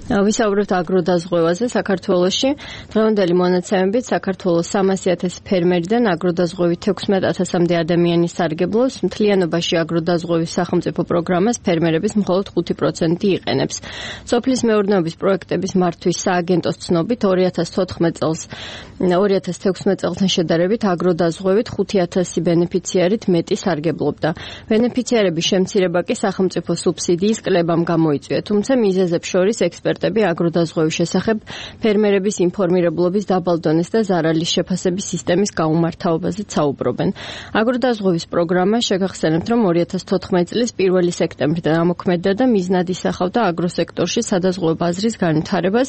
ვისაუბრებთ აგროდაზღვევაზე საქართველოში. დღევანდელი მონაცემებით საქართველოს 300,000 ფერმერიდან აგროდაზღვევით 16,000-მდე ადამიანი სარგებლობს. მთლიანობაში აგროდაზღვევის სახელმწიფო პროგრამას ფერმერების მხოლოდ 5% იყენებს. სოფლის მეურნეობის პროექტების მართვის სააგენტოს ცნობით 2016 წელთან შედარებით აგროდაზღვევით 5,000 ბენეფიციარით მეტი სარგებლობდა. ბენეფიციარების შემცირება კი სახელმწიფო სუბსიდიის კლებამ გამოიწვია, თუმცა მიზეზებს შორის ექსპერტები აგროდაზღვევის შესახებ ფერმერების ინფორმირებლობის დაბალ დონეს და ზარალის შეფასების სისტემის გაუმართავობაზე საუბრობენ. აგროდაზღვევის პროგრამა შეგახსენებთ, რომ 2014 წლის 1 სექტემბრიდან ამოქმედდა და მიზნად ისახავდა აგროსექტორში სადაზღვევო ბაზრის განვითარებას,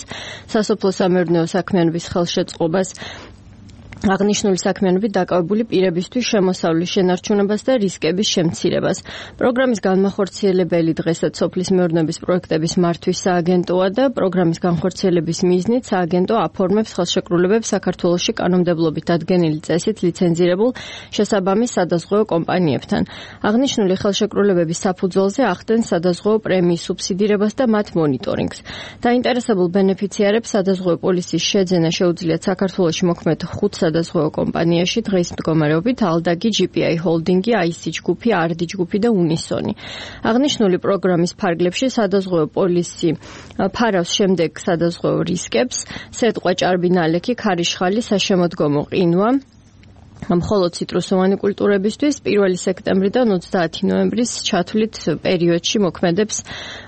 სასოფლო-სამეურნეო საქმიანობის ხელშეწყობას, აღნიშნული საქმიანობით დაკავებული პირებისთვის შემოსავლის შენარჩუნებას და რისკების შემცირებას. პროგრამის განმახორციელებელი დღესაც სოფლის მეურნეობის პროექტების მართვის სააგენტოა და პროგრამის განხორციელების მიზნით სააგენტო აფორმებს ხელშეკრულებებს საქართველოში კანონმდებლობით დადგენილი წესით ლიცენზირებულ შესაბამის სადაზღვევო კომპანიებთან. აღნიშნული ხელშეკრულებების საფუძველზე ახდენს სადაზღვევო პრემიის სუბსიდირებას და მათ მონიტორინგს. დაინტერესებულ ბენეფიციარებს სადაზღვევო პოლისის შეძენა შეუძლიათ საქართველოში მოქმედ 5 სადაზღვევო კომპანიაში დღის მდგომარეობით ალდაგი, GPI ჰოლდინგი, IC ჯგუფი, RD ჯგუფი და უნისონი. აღნიშნული პროგრამის ფარგლებში სადაზღვევო პოლისი ფარავს შემდეგ სადაზღვევო რისკებს: სეტყვა, ჭარბი ნალექი, ქარიშხალი, საშემოდგომო ყინვა, მხოლოდ ციტრუსოვანი კულტურებისთვის 1 სექტემბრიდან 30 ნოემბრის ჩათვლით პერიოდში მოქმედებს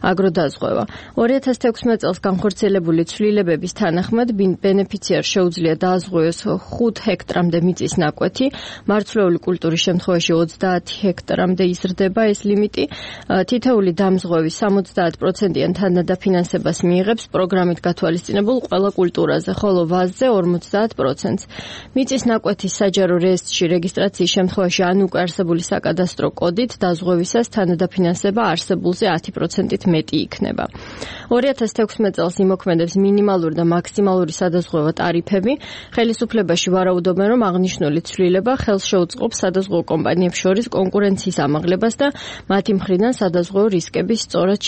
აგროდაზღვევა. 2016 წელს განხორციელებული ცვლილებების თანახმად ბენეფიციარს შეუძლია დააზღვევოს 5 ჰექტრამდე მიწის ნაკვეთი, მარცვლეული კულტურის შემთხვევაში 30 ჰექტრამდე იზრდება ეს ლიმიტი. თითოეული დამზღვევის 70%-იან თანადაფინანსებას მიიღებს პროგრამით გათვალისწინებულ ყველა კულტურაზე, ხოლო ვაზზე 50%-ს. მიწის ნაკვეთის საჯარო რეესტრში რეგისტრაციის შემთხვევაში ან უკვე არსებული საკადასტრო კოდით დაზღვევისას თანადაფინანსება არსებულზე 10%-ით მეტი იქნება. 2016 წელს იმოქმედებს მინიმალური და მაქსიმალური სადაზღვევო ტარიფები. ხელისუფლებაში ვარაუდობენ, რომ აღნიშნული ცვლილება ხელს შეუწყობს სადაზღვევო კომპანიებს შორის კონკურენციის ამაღლებას და მათი მხრიდან სადაზღვევო რისკების სწორად